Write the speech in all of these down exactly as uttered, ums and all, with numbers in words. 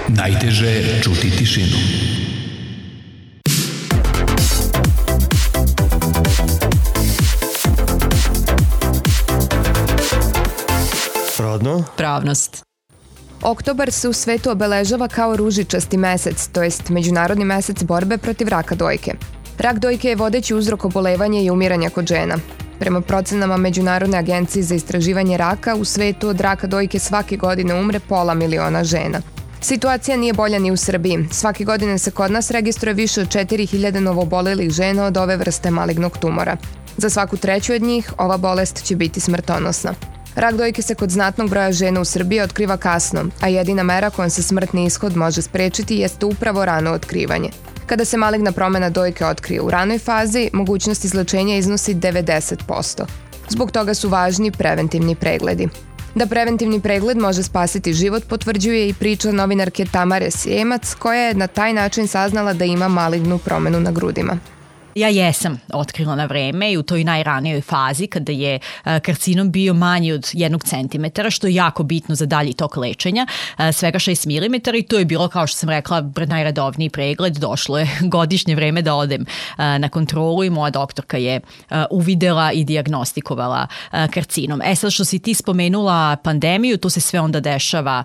Najteže je čuti tišinu. Rodno? Pravnost. Oktobar se u svetu obeležava kao ružičasti mesec, to jest Međunarodni mesec borbe protiv raka dojke. Rak dojke je vodeći uzrok obolevanja i umiranja kod žena. Prema procenama Međunarodne agencije za istraživanje raka, u svetu od raka dojke svake godine umre pola miliona žena. Situacija nije bolja ni u Srbiji. Svake godine se kod nas registruje više od četiri hiljade novoobolelih žena od ove vrste malignog tumora. Za svaku treću od njih ova bolest će biti smrtonosna. Rak dojke se kod znatnog broja žena u Srbiji otkriva kasno, a jedina mera kojom se smrtni ishod može sprečiti jeste upravo rano otkrivanje. Kada se maligna promena dojke otkrije u ranoj fazi, mogućnost izlečenja iznosi devedeset posto. Zbog toga su važni preventivni pregledi. Da preventivni pregled može spasiti život potvrđuje i priča novinarke Tamare Srijemac, koja je na taj način saznala da ima malignu promenu na grudima. Ja jesam otkrila na vreme i u toj najranijoj fazi kada je karcinom bio manji od jednog centimetara, što je jako bitno za dalji tok lečenja, svega šest milimetara, i to je bilo, kao što sam rekla, najredovniji pregled. Došlo je godišnje vreme da odem na kontrolu i moja doktorka je uvidela i dijagnostikovala karcinom. E sad, što si ti spomenula pandemiju, to se sve onda dešava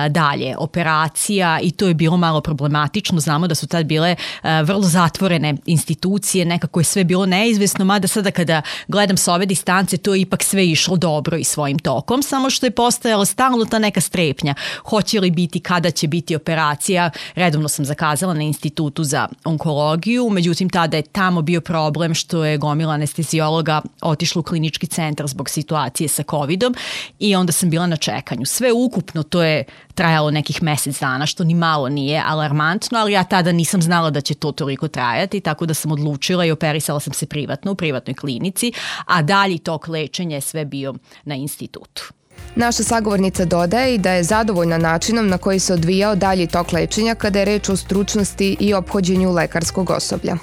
dalje. Operacija, i to je bilo malo problematično. Znamo da su tad bile vrlo zatvorene institucije, nekako je sve bilo neizvesno, mada sada kada gledam sa ove distance, to je ipak sve išlo dobro i svojim tokom, samo što je postojala stalno ta neka strepnja. Hoće li biti, kada će biti operacija? Redovno sam zakazala na Institutu za onkologiju, međutim tada je tamo bio problem što je gomila anestezijologa otišla u klinički centar zbog situacije sa covidom i onda sam bila na čekanju. Sve ukupno to je trajalo nekih mesec dana, što ni malo nije alarmantno, ali ja tada nisam znala da će to toliko trajati, tako da sam odlučila i operisala sam se privatno u privatnoj klinici, a dalji tok lečenja je sve bio na institutu. Naša sagovornica dodaje i da je zadovoljna načinom na koji se odvijao dalji tok lečenja kada je reč o stručnosti i ophođenju lekarskog osoblja.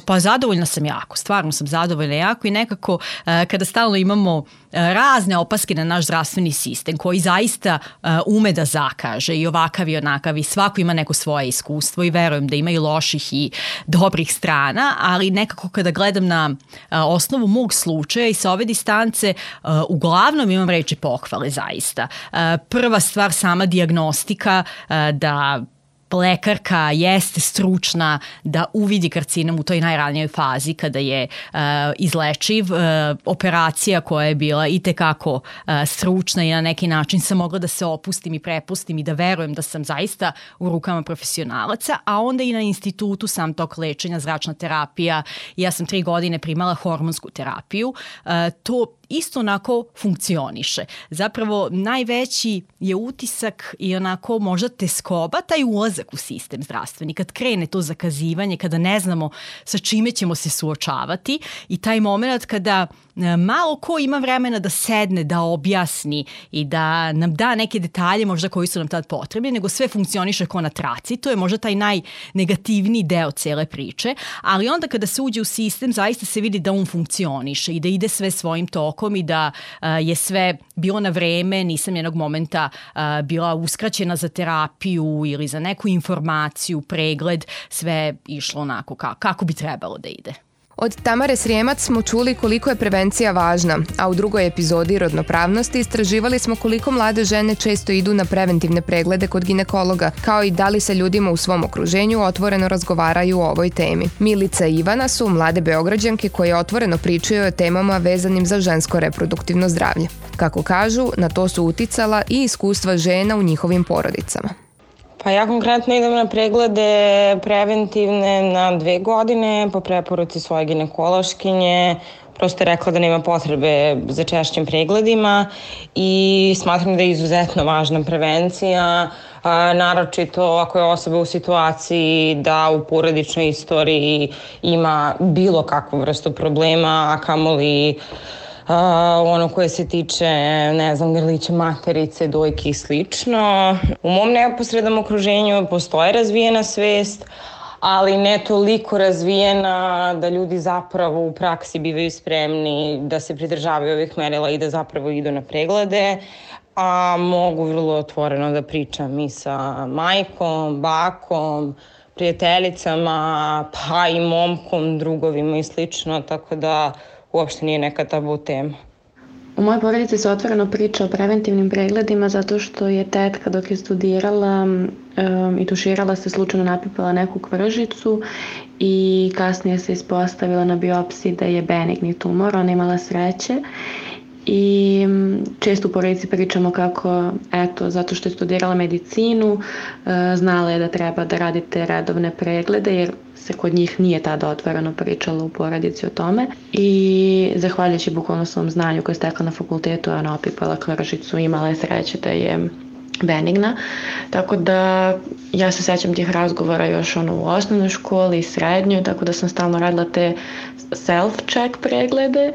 Pa zadovoljna sam jako, stvarno sam zadovoljna jako i nekako kada stalno imamo razne opaske na naš zdravstveni sistem koji zaista ume da zakaže i ovakav i onakav i svako ima neko svoje iskustvo i verujem da ima i loših i dobrih strana, ali nekako kada gledam na osnovu mog slučaja i sa ove distance, uglavnom imam reči pohvale zaista. Prva stvar, sama dijagnostika, da lekarka jeste stručna da uvidi karcinom u toj najranijoj fazi kada je uh, izlečiv. Uh, operacija koja je bila itekako uh, stručna i na neki način sam mogla da se opustim i prepustim i da verujem da sam zaista u rukama profesionalaca, a onda i na institutu sam tok lečenja, zračna terapija. Ja sam tri godine primala hormonsku terapiju. Uh, to isto onako funkcioniše. Zapravo najveći je utisak i onako možda teskoba taj ulazak u sistem zdravstveni. Kad krene to zakazivanje, kada ne znamo sa čime ćemo se suočavati i taj moment kada malo ko ima vremena da sedne, da objasni i da nam da neke detalje možda koji su nam tad potrebni, nego sve funkcioniše ko na traci. To je možda taj najnegativniji deo cele priče, ali onda kada se uđe u sistem zaista se vidi da on funkcioniše i da ide sve svojim tokom i da uh, je sve bilo na vreme, nisam jednog momenta uh, bila uskraćena za terapiju ili za neku informaciju, pregled, sve išlo onako ka, kako bi trebalo da ide. Od Tamare Srijemac smo čuli koliko je prevencija važna, a u drugoj epizodi rodnopravnosti istraživali smo koliko mlade žene često idu na preventivne preglede kod ginekologa, kao i da li sa ljudima u svom okruženju otvoreno razgovaraju o ovoj temi. Milica i Ivana su mlade Beograđanke koje otvoreno pričaju o temama vezanim za žensko reproduktivno zdravlje. Kako kažu, na to su uticala i iskustva žena u njihovim porodicama. Pa ja konkretno idem na preglede preventivne na dve godine po preporuci svoje ginekološkinje. Prosto je rekla da nema potrebe za češćim pregledima i smatram da je izuzetno važna prevencija, a, naročito ako je osoba u situaciji da u porodičnoj istoriji ima bilo kakvu vrstu problema, a kamoli Uh, ono koje se tiče, ne znam, grlića materice, dojke i slično. U mom neposrednom okruženju postoje razvijena svest, ali ne toliko razvijena da ljudi zapravo u praksi bivaju spremni da se pridržavaju ovih merila i da zapravo idu na preglede. a mogu vrlo otvoreno da pričam i sa majkom, bakom, prijateljicama, pa i momkom, drugovima i slično, tako da uopšte nije neka tabu tema. U mojoj porodici se otvoreno priča o preventivnim pregledima zato što je tetka dok je studirala um, i tuširala se slučajno napipala neku kvržicu i kasnije se ispostavila na biopsiji da je benigni tumor, ona imala sreće. I često u porodici pričamo kako, eto, zato što je studirala medicinu, znala je da treba da radite redovne preglede, jer se kod njih nije tada otvoreno pričalo u porodici o tome. I zahvaljujući bukvalno svom znanju koje je stekla na fakultetu, ona opipala kvržicu i imala je sreće da je benigna. Tako da ja se sećam tih razgovora još ono u osnovnoj školi i srednjoj, tako da sam stalno radila te self-check preglede.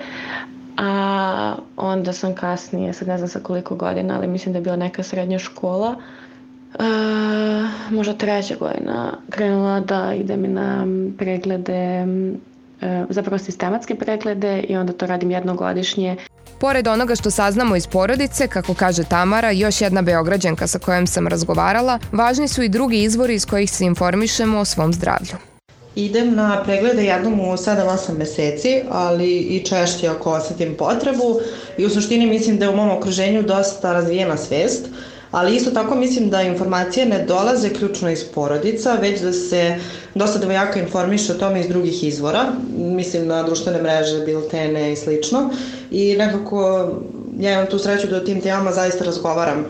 A onda sam kasnije, sad ne znam sa koliko godina, ali mislim da je bila neka srednja škola, uh, možda treća godina, krenula da idem na preglede, uh, zapravo sistematske preglede i onda to radim jednogodišnje. Pored onoga što saznamo iz porodice, kako kaže Tamara, još jedna Beograđanka sa kojom sam razgovarala, važni su i drugi izvori iz kojih se informišemo o svom zdravlju. Idem na preglede jednom u sedam osam meseci, ali i češće ako osetim potrebu i u suštini mislim da je u mom okruženju dosta razvijena svest, ali isto tako mislim da informacije ne dolaze ključno iz porodica, već da se dosta devojaka informiše o tome iz drugih izvora, mislim na društvene mreže, biltene i slično, i nekako ja imam tu sreću da o tim temama zaista razgovaram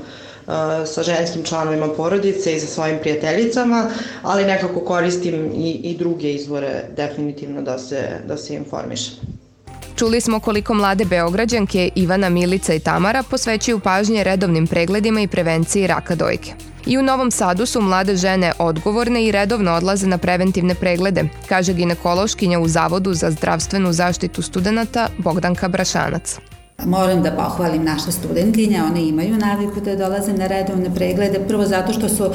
sa ženskim članovima porodice i sa svojim prijateljicama, ali nekako koristim i, i druge izvore definitivno da se, da se informišem. Čuli smo koliko mlade Beograđanke Ivana, Milica i Tamara posvećuju pažnje redovnim pregledima i prevenciji raka dojke. I u Novom Sadu su mlade žene odgovorne i redovno odlaze na preventivne preglede, kaže ginekološkinja u Zavodu za zdravstvenu zaštitu studenata Bogdanka Brašanac. Moram da pohvalim naše studentkinje, one imaju naviku da dolaze na redovne preglede, prvo zato što su uh,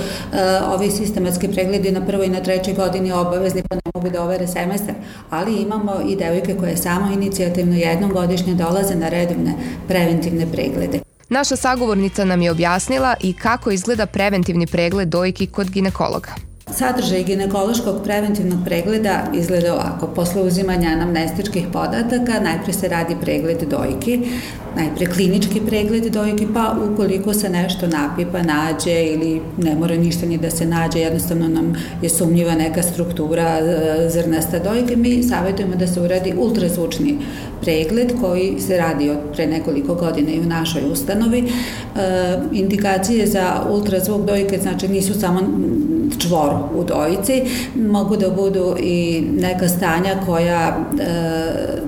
ovi sistematski pregledi na prvoj i na trećoj godini obavezni, pa ne mogu da overe semestar, ali imamo i devojke koje samo inicijativno jednom godišnje dolaze na redovne preventivne preglede. Naša sagovornica nam je objasnila i kako izgleda preventivni pregled dojki kod ginekologa. Sadržaj ginekološkog preventivnog pregleda izgleda ovako. Posle uzimanja anamnestičkih podataka najpre se radi pregled dojki, najpre klinički pregled dojki, pa ukoliko se nešto napipa, nađe ili ne mora ništa ni da se nađe, jednostavno nam je sumnjiva neka struktura zrnasta dojke, mi savjetujemo da se uradi ultrazvučni pregled koji se radi od pre nekoliko godina i u našoj ustanovi. E, indikacije za ultrazvuk dojke znači nisu samo čvor u dojici, mogu da budu i neka stanja koja e,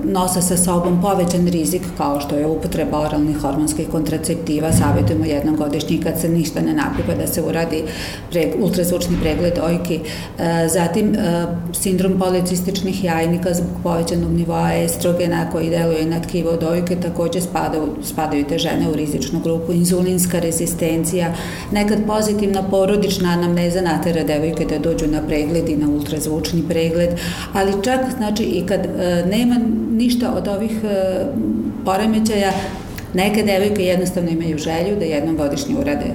nose sa sobom povećan rizik kao što je upotreba oralnih hormonskih kontraceptiva. Savjetujemo jednom godišnji kad se ništa ne napipa da se uradi pre, ultrazvučni pregled dojki. E, zatim e, sindrom policističnih jajnika zbog povećanog nivoa estrogena koji deluje na tkivo dojke, takođe spadaju, spadaju te žene u rizičnu grupu, inzulinska rezistencija, nekad pozitivna porodična anamneza natera devojke da dođu na pregled i na ultrazvučni pregled, ali čak znači i kad e, nema ništa od ovih e, poremećaja, neke devojke jednostavno imaju želju da jednom godišnje urade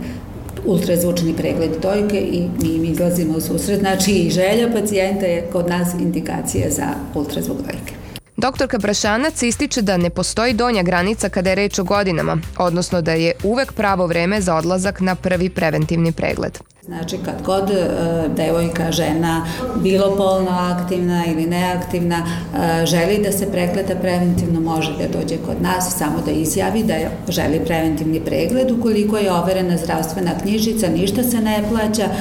ultrazvučni pregled dojke i mi im izlazimo u susret, znači i želja pacijenta je kod nas indikacija za ultrazvuk dojke. Doktorka Brašanac ističe da ne postoji donja granica kada je reč o godinama, odnosno da je uvek pravo vreme za odlazak na prvi preventivni pregled. Znači kad god e, devojka, žena, bilo polno aktivna ili neaktivna, e, želi da se pregleda preventivno, može da dođe kod nas, samo da izjavi da je, želi preventivni pregled. Ukoliko je overena zdravstvena knjižica, ništa se ne plaća. E,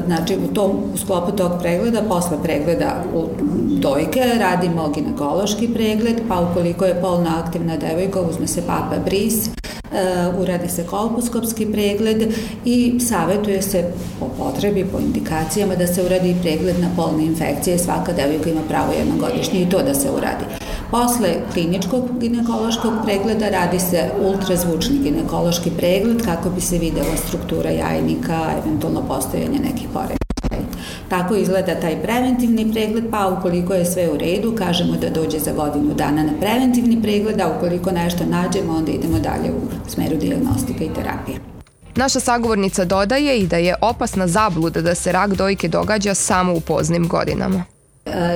znači u, tom, u sklopu tog pregleda, posle pregleda u dojke, radimo ginekološki pregled, pa ukoliko je polno aktivna devojka, uzme se papa bris, Uh, uradi se kolposkopski pregled i savjetuje se po potrebi, po indikacijama da se uradi pregled na polne infekcije. Svaka devojka ima pravo jednogodišnje i to da se uradi. Posle kliničkog ginekološkog pregleda radi se ultrazvučni ginekološki pregled kako bi se videla struktura jajnika, eventualno postojanje nekih poremećaja. Tako izgleda taj preventivni pregled, pa ukoliko je sve u redu, kažemo da dođe za godinu dana na preventivni pregled, a ukoliko nešto nađemo, onda idemo dalje u smeru dijagnostike i terapije. Naša sagovornica dodaje i da je opasna zabluda da se rak dojke događa samo u poznim godinama.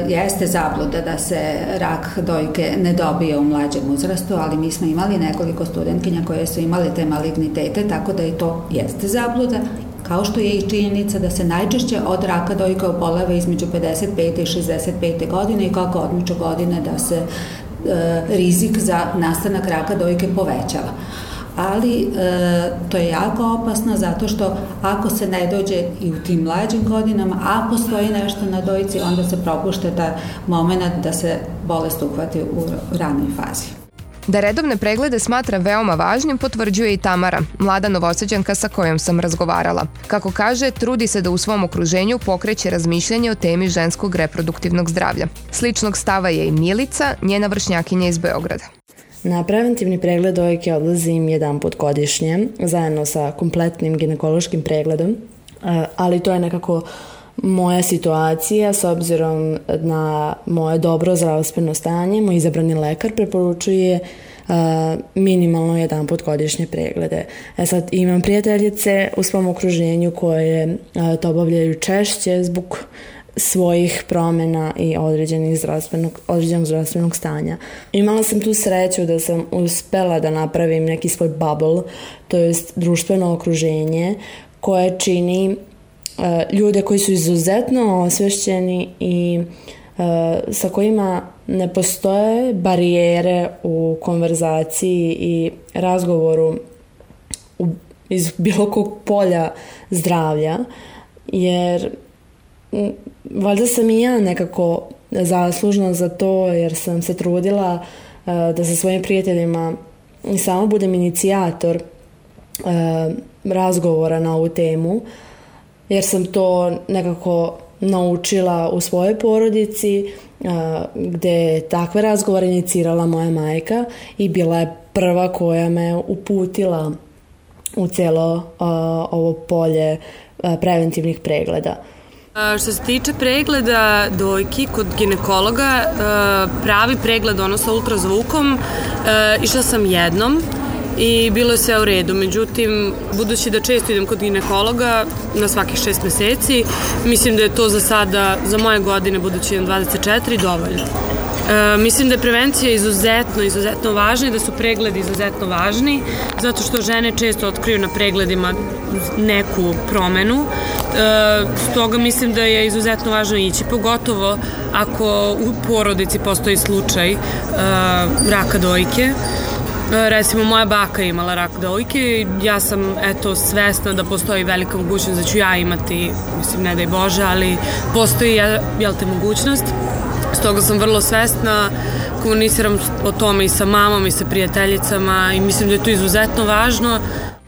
Jeste zabluda da se rak dojke ne dobije u mlađem uzrastu, ali mi smo imali nekoliko studentkinja koje su imale te malignitete, tako da i to jeste zabluda, kao što je i činjenica da se najčešće od raka dojke oboleva između pedeset pete i šezdeset pete godine i kako odmiču godine da se e, rizik za nastanak raka dojke povećava. Ali e, to je jako opasno zato što ako se ne dođe i u tim mlađim godinama, a postoji nešto na dojci, onda se propušta taj moment da se bolest uhvati u ranoj fazi. Da redovne preglede smatra veoma važnim potvrđuje i Tamara, mlada Novosađanka sa kojom sam razgovarala. Kako kaže, trudi se da u svom okruženju pokreće razmišljanje o temi ženskog reproduktivnog zdravlja. Sličnog stava je i Milica, njena vršnjakinja iz Beograda. Na preventivni pregled dojke odlazim jedan put godišnje, zajedno sa kompletnim ginekološkim pregledom, ali to je nekako moja situacija s obzirom na moje dobro zdravstveno stanje. Moj izabrani lekar preporučuje minimalno jedan put godišnje preglede. E sad, imam prijateljice u svom okruženju koje to obavljaju češće zbog svojih promjena i određenih zdravstvenog, određenog zdravstvenog stanja. Imala sam tu sreću da sam uspela da napravim neki svoj bubble, to jest društveno okruženje koje čini uh, ljude koji su izuzetno osvešćeni i uh, sa kojima ne postoje barijere u konverzaciji i razgovoru u, iz bilo kog polja zdravlja, jer valjda sam i ja nekako zaslužna za to jer sam se trudila uh, da sa svojim prijateljima samo budem inicijator uh, razgovora na ovu temu, jer sam to nekako naučila u svojoj porodici uh, gde je takve razgovore inicirala moja majka i bila je prva koja me uputila u cijelo uh, ovo polje uh, preventivnih pregleda. Što se tiče pregleda dojki kod ginekologa, pravi pregled ono sa ultrazvukom, išla sam jednom i bilo je sve u redu. Međutim, budući da često idem kod ginekologa na svakih šest meseci, mislim da je to za sada, za moje godine, budući idem dvadeset četiri, dovoljno. E, mislim da je prevencija izuzetno, izuzetno važna i da su pregledi izuzetno važni, zato što žene često otkriju na pregledima neku promenu. E, stoga mislim da je izuzetno važno ići, pogotovo ako u porodici postoji slučaj e, raka dojke. Recimo, moja baka je imala rak dojke i ja sam, eto, svesna da postoji velika mogućnost da ću ja imati, mislim, ne daj Bože, ali postoji, jel te, mogućnost. Stoga sam vrlo svesna, komuniciram o tome i sa mamom i sa prijateljicama i mislim da je to izuzetno važno.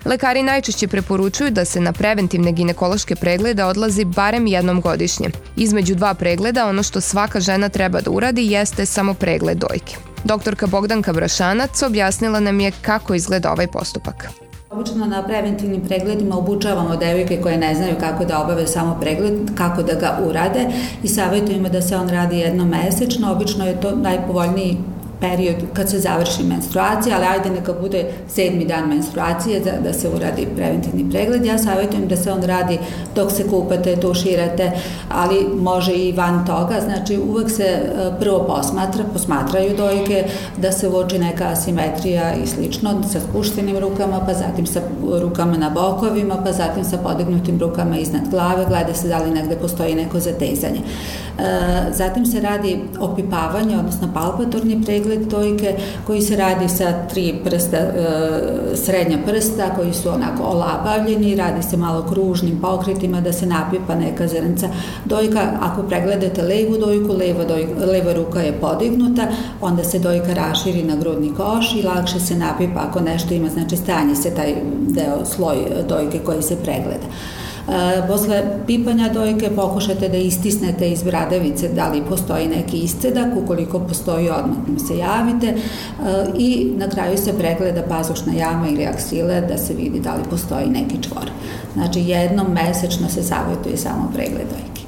Lekari najčešće preporučuju da se na preventivne ginekološke preglede odlazi barem jednom godišnje. Između dva pregleda ono što svaka žena treba da uradi jeste samo pregled dojke. Doktorka Bogdanka Brašanac objasnila nam je kako izgleda ovaj postupak. Obično na preventivnim pregledima obučavamo devojke koje ne znaju kako da obave samo pregled, kako da ga urade i savjetujemo da se on radi jednom mesečno. Obično je to najpovoljniji period kad se završi menstruacija, ali ajde neka bude sedmi dan menstruacije da, da se uradi preventivni pregled. Ja savjetujem da se on radi dok se kupate, tuširate, ali može i van toga. Znači uvek se prvo posmatra, posmatraju dojke, da se uoči neka asimetrija i slično, sa spuštenim rukama, pa zatim sa rukama na bokovima, pa zatim sa podignutim rukama iznad glave, gleda se da li negde postoji neko zatezanje. Zatim se radi opipavanje, odnosno palpatorni pregled dojke koji se radi sa tri prsta, srednja prsta koji su onako olabavljeni, radi se malo kružnim pokretima da se napipa neka zrnca. Dojka, ako pregledate levu dojku, leva, dojka, leva ruka je podignuta, onda se dojka raširi na grudni koš i lakše se napipa ako nešto ima, znači stanje se taj deo, sloj dojke koji se pregleda. Posle pipanja dojke pokušate da istisnete iz bradavice da li postoji neki iscedak, ukoliko postoji odmah nam se javite i na kraju se pregleda pazušna jama ili aksile da se vidi da li postoji neki čvor. Znači jednom mesečno se savjetuje samo pregled dojke.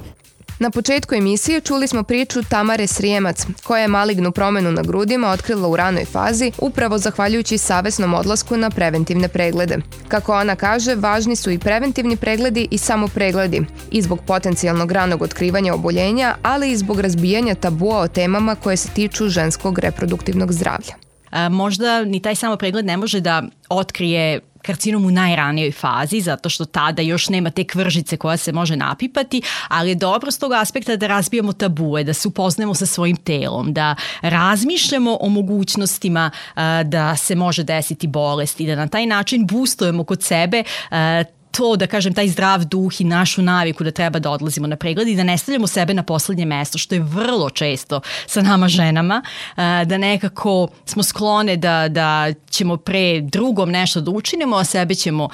Na početku emisije čuli smo priču Tamare Srijemac, koja je malignu promenu na grudima otkrila u ranoj fazi upravo zahvaljujući savesnom odlasku na preventivne preglede. Kako ona kaže, važni su i preventivni pregledi i samopregledi, i zbog potencijalnog ranog otkrivanja oboljenja, ali i zbog razbijanja tabua o temama koje se tiču ženskog reproduktivnog zdravlja. A, možda ni taj samopregled ne može da otkrije karcinom u najranijoj fazi, zato što tada još nema te kvržice koja se može napipati, ali je dobro s tog aspekta da razbijamo tabue, da se upoznemo sa svojim telom, da razmišljamo o mogućnostima a, da se može desiti bolest i da na taj način boostujemo kod sebe a, to, da kažem, taj zdrav duh i našu naviku da treba da odlazimo na pregled i da ne stavljamo sebe na poslednje mesto, što je vrlo često sa nama ženama, da nekako smo sklone da, da ćemo pre drugom nešto da učinimo, a sebe ćemo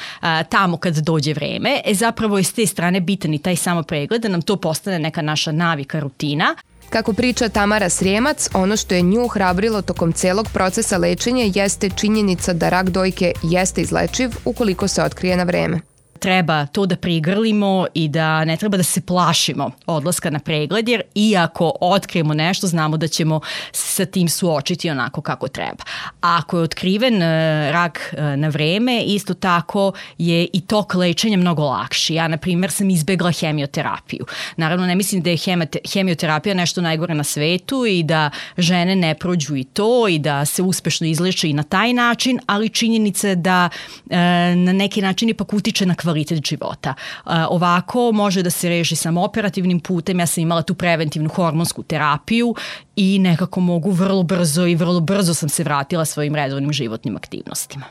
tamo kad dođe vreme. E zapravo je s te strane bitan i taj samo pregled, da nam to postane neka naša navika, rutina. Kako priča Tamara Srijemac, ono što je nju hrabrilo tokom celog procesa lečenja jeste činjenica da rak dojke jeste izlečiv ukoliko se otkrije na vreme. Treba to da prigrlimo i da ne treba da se plašimo odlaska na pregled, jer iako otkrijemo nešto, znamo da ćemo se sa tim suočiti onako kako treba. A ako je otkriven rak na vreme, isto tako je i tok lečenja mnogo lakši. Ja, na primjer, sam izbegla hemioterapiju. Naravno, ne mislim da je hemioterapija nešto najgore na svetu i da žene ne prođu i to i da se uspešno izleče i na taj način, ali činjenica je da na neki način ipak utiče na kvalitet života. Ovako može da se reši samo operativnim putem. Ja sam imala tu preventivnu hormonsku terapiju i nekako mogu vrlo brzo i vrlo brzo sam se vratila svojim redovnim životnim aktivnostima.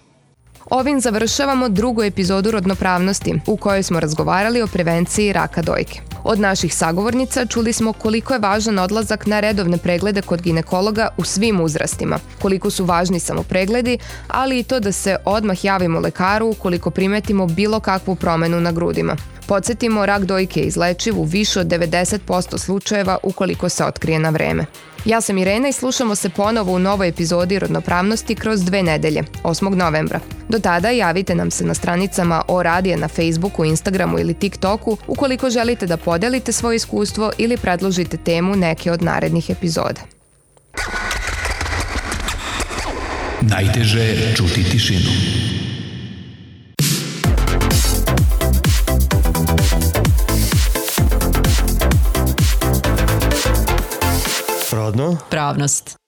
Ovim završavamo drugu epizodu Rodnopravnosti, u kojoj smo razgovarali o prevenciji raka dojke. Od naših sagovornica čuli smo koliko je važan odlazak na redovne preglede kod ginekologa u svim uzrastima, koliko su važni samo pregledi, ali i to da se odmah javimo lekaru ukoliko primetimo bilo kakvu promenu na grudima. Podsjetimo, rak dojke je izlečiv u više od devedeset posto slučajeva ukoliko se otkrije na vreme. Ja sam Irena i slušamo se ponovo u novoj epizodi Rodnopravnosti kroz dve nedelje, osmog novembra. Do tada javite nam se na stranicama O Radija na Facebooku, Instagramu ili TikToku ukoliko želite da podelite svoje iskustvo ili predložite temu neke od narednih epizoda. Najteže je čuti tišinu. Rodno? Pravnost.